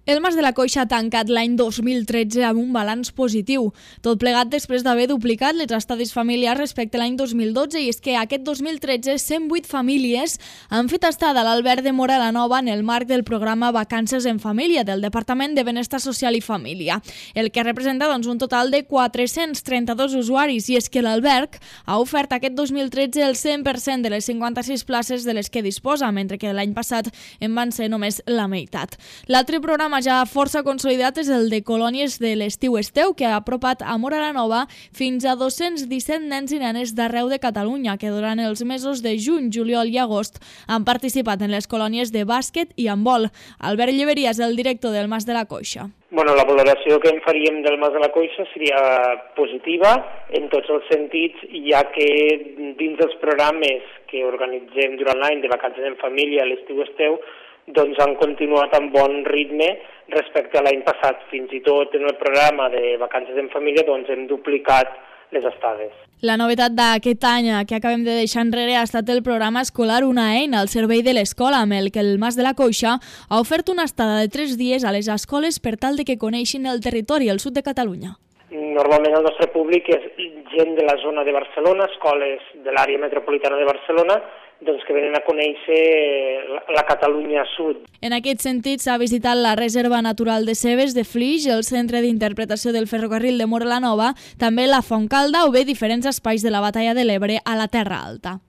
El Mas de la Coixa ha tancat l'any 2013 amb un balanç positiu, tot plegat després d'haver duplicat les estades familiars respecte a l'any 2012, i és que aquest 2013 108 famílies han fet estada a l'Alberg de Móra la Nova en el marc del programa Vacances en Família del Departament de Benestar Social i Família, el que representa un total de 432 usuaris, i és que l'Alberg ha ofert aquest 2013 el 100% de les 56 places de les que disposa, mentre que l'any passat en van ser només la meitat. L'altre programa ja força consolidat és el de colònies de l'estiu Esteu, que ha apropat a Móra la Nova fins a 217 nens i nenes d'arreu de Catalunya, que durant els mesos de juny, juliol i agost han participat en les colònies de bàsquet i handbol. Albert Lleveria és el director del Mas de la Coixa. La valoració que en faríem del Mas de la Coixa seria positiva en tots els sentits, ja que dins dels programes que organitzem durant l'any de vacances en família a l'estiu Esteu, han continuat amb bon ritme respecte a l'any passat. Fins i tot en el programa de vacances en família hem duplicat les estades. La novetat d'aquest any que acabem de deixar enrere ha estat el programa escolar Una eina al servei de l'escola, amb el que el Mas de la Coixa ha ofert una estada de 3 dies a les escoles per tal de que coneixin el territori al sud de Catalunya. Normalment el nostre públic és gent de la zona de Barcelona, escoles de l'àrea metropolitana de Barcelona, que venen a conèixer la Catalunya Sud. En aquest sentit, s'ha visitat la Reserva Natural de Cebes de Flix, el Centre d'Interpretació del Ferrocarril de Móra la Nova, també la Fontcalda o bé diferents espais de la Batalla de l'Ebre a la Terra Alta.